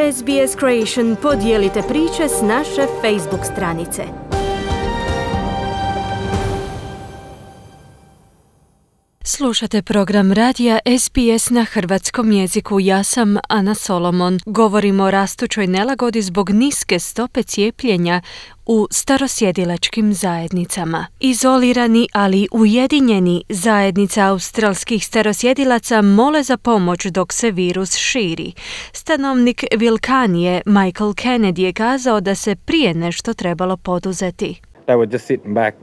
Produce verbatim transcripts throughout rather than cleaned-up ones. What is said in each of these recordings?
S B S Creation podijelite priče s naše Facebook stranice. Slušate program radija S B S na hrvatskom jeziku. Ja sam Ana Solomon. Govorimo o rastućoj nelagodi zbog niske stope cijepljenja u starosjedilačkim zajednicama. Izolirani, ali ujedinjeni, zajednica australskih starosjedilaca mole za pomoć dok se virus širi. Stanovnik Vilkanije Michael Kennedy je kazao da se prije nešto trebalo poduzeti. They were just sitting back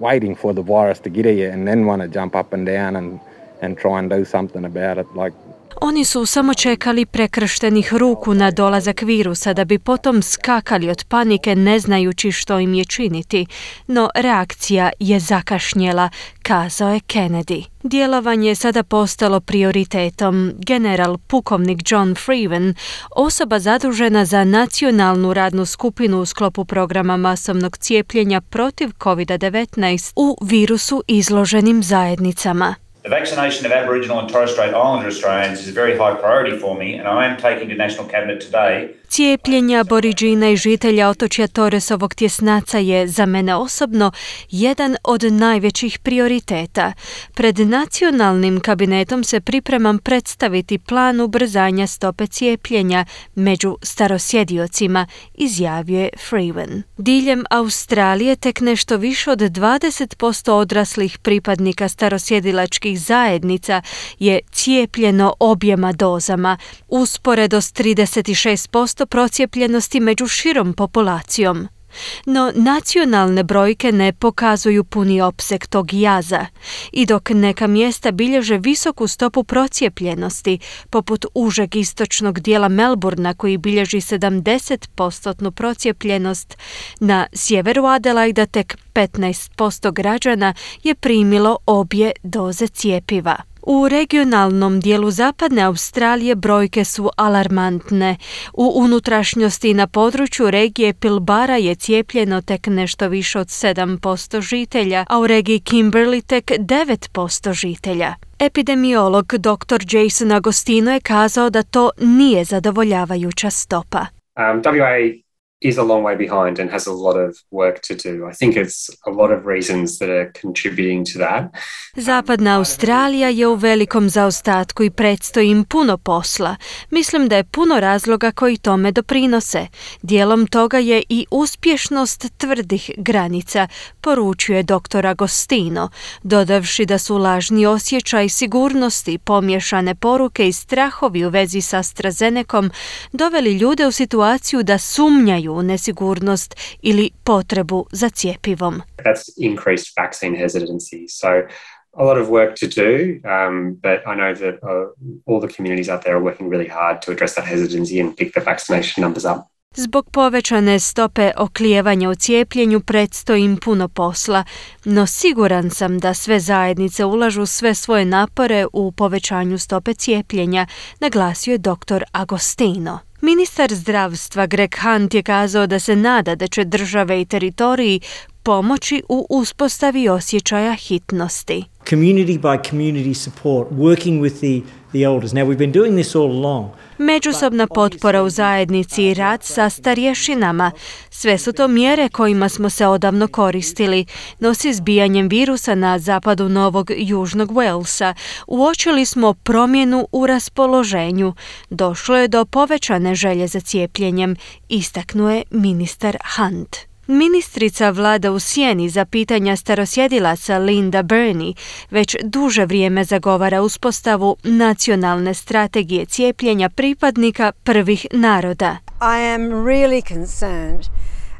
waiting for the virus to get here and then want to jump up and down and, and try and do something about it. Like, Oni su samo čekali prekrštenih ruku na dolazak virusa da bi potom skakali od panike ne znajući što im je činiti. No reakcija je zakašnjela, kazao je Kennedy. Djelovanje je sada postalo prioritetom. General pukovnik John Freeman, osoba zadužena za nacionalnu radnu skupinu u sklopu programa masovnog cijepljenja protiv covid devetnaest u virusu izloženim zajednicama. The vaccination of Aboriginal and Torres Strait Islander Australians is a very high priority for me, and I am taking to National Cabinet today. Cijepljenje Aboriđina i žitelja otočja Torresovog tjesnaca je za mene osobno jedan od najvećih prioriteta. Pred nacionalnim kabinetom se pripremam predstaviti plan ubrzanja stope cijepljenja među starosjediocima, izjavio je Freeman. Diljem Australije tek nešto više od dvadeset posto odraslih pripadnika starosjedilačkih zajednica je cijepljeno objema dozama, usporedo s trideset šest posto procijepljenosti među širom populacijom. No nacionalne brojke ne pokazuju puni opseg tog jaza i dok neka mjesta bilježe visoku stopu procijepljenosti, poput užeg istočnog dijela Melbourna koji bilježi sedamdeset posto procijepljenost, na sjeveru Adelaida tek petnaest posto građana je primilo obje doze cjepiva. U regionalnom dijelu zapadne Australije brojke su alarmantne. U unutrašnjosti na području regije Pilbara je cijepljeno tek nešto više od sedam posto žitelja, a u regiji Kimberley tek devet posto žitelja. Epidemiolog doktor Jason Agostino je kazao da to nije zadovoljavajuća stopa. Um, W A is a long way behind and has a lot of work to do. I think it's a lot of reasons that are contributing to that. Zapadna Australija je u velikom zaostatku i predstoji im puno posla. Mislim da je puno razloga koji tome doprinose. Dijelom toga je i uspješnost tvrdih granica, poručuje doktor Agostino, dodavši da su lažni osjećaj sigurnosti, pomiješane poruke i strahovi u vezi s AstraZenecom doveli ljude u situaciju da sumnjaju u nesigurnost ili potrebu za cjepivom. That's increased vaccine hesitancy. So a lot of work to do, um, but I know that uh, all the communities out there are working really hard to address that hesitancy and pick the vaccination numbers up. Zbog povećane stope oklijevanja u cijepljenju predstoji im puno posla, no siguran sam da sve zajednice ulažu sve svoje napore u povećanju stope cijepljenja, naglasio je doktor Agostino. Ministar zdravstva Greg Hunt je kazao da se nada da će države i teritoriji pomoći u uspostavi osjećaja hitnosti. Community by community support, working with the, the elders. Now we've been doing this all along. Međusobna potpora u zajednici i rad sa starješinama. Sve su to mjere kojima smo se odavno koristili, no s izbijanjem virusa na zapadu Novog Južnog Walesa uočili smo promjenu u raspoloženju. Došlo je do povećane želje za cijepljenjem, istaknuo je ministar Hunt. Ministrica vlada u sjeni za pitanja starosjedilaca Linda Burney već duže vrijeme zagovara uspostavu nacionalne strategije cijepljenja pripadnika prvih naroda. I am really concerned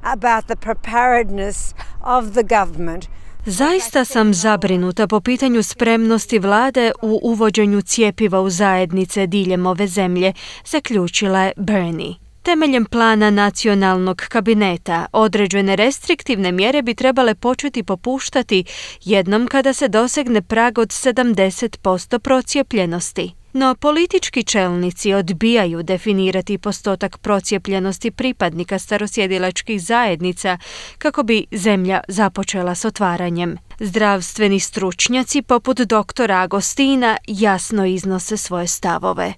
about the preparedness of the government. Zaista sam zabrinuta po pitanju spremnosti vlade u uvođenju cjepiva u zajednice diljem ove zemlje, zaključila je Burney. Temeljem plana nacionalnog kabineta, određene restriktivne mjere bi trebale početi popuštati jednom kada se dosegne prag od sedamdeset posto procijepljenosti. No politički čelnici odbijaju definirati postotak procijepljenosti pripadnika starosjedilačkih zajednica kako bi zemlja započela s otvaranjem. Zdravstveni stručnjaci poput doktora Agostina jasno iznose svoje stavove.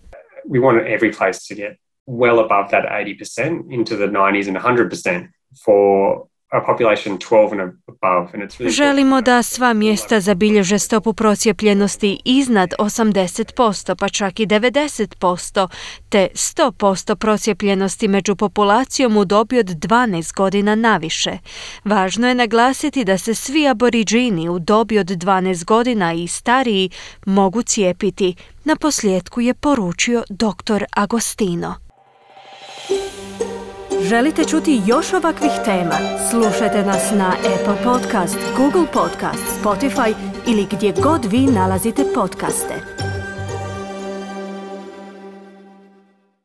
We want every place to get well above that eighty percent into the nineties and one hundred percent for a population twelve and above. And it's really Želimo da sva mjesta zabilježe stopu procijepljenosti iznad osamdeset posto, pa čak i devedeset posto, te sto posto procijepljenosti među populacijom u dobi od dvanaest godina naviše. Važno je naglasiti da se svi aboriđini u dobi od dvanaest godina i stariji mogu cijepiti. Na posljedku je poručio doktor Agostino. Želite čuti još ovakvih tema? Slušajte nas na Apple Podcast, Google Podcast, Spotify ili gdje god vi nalazite podcaste.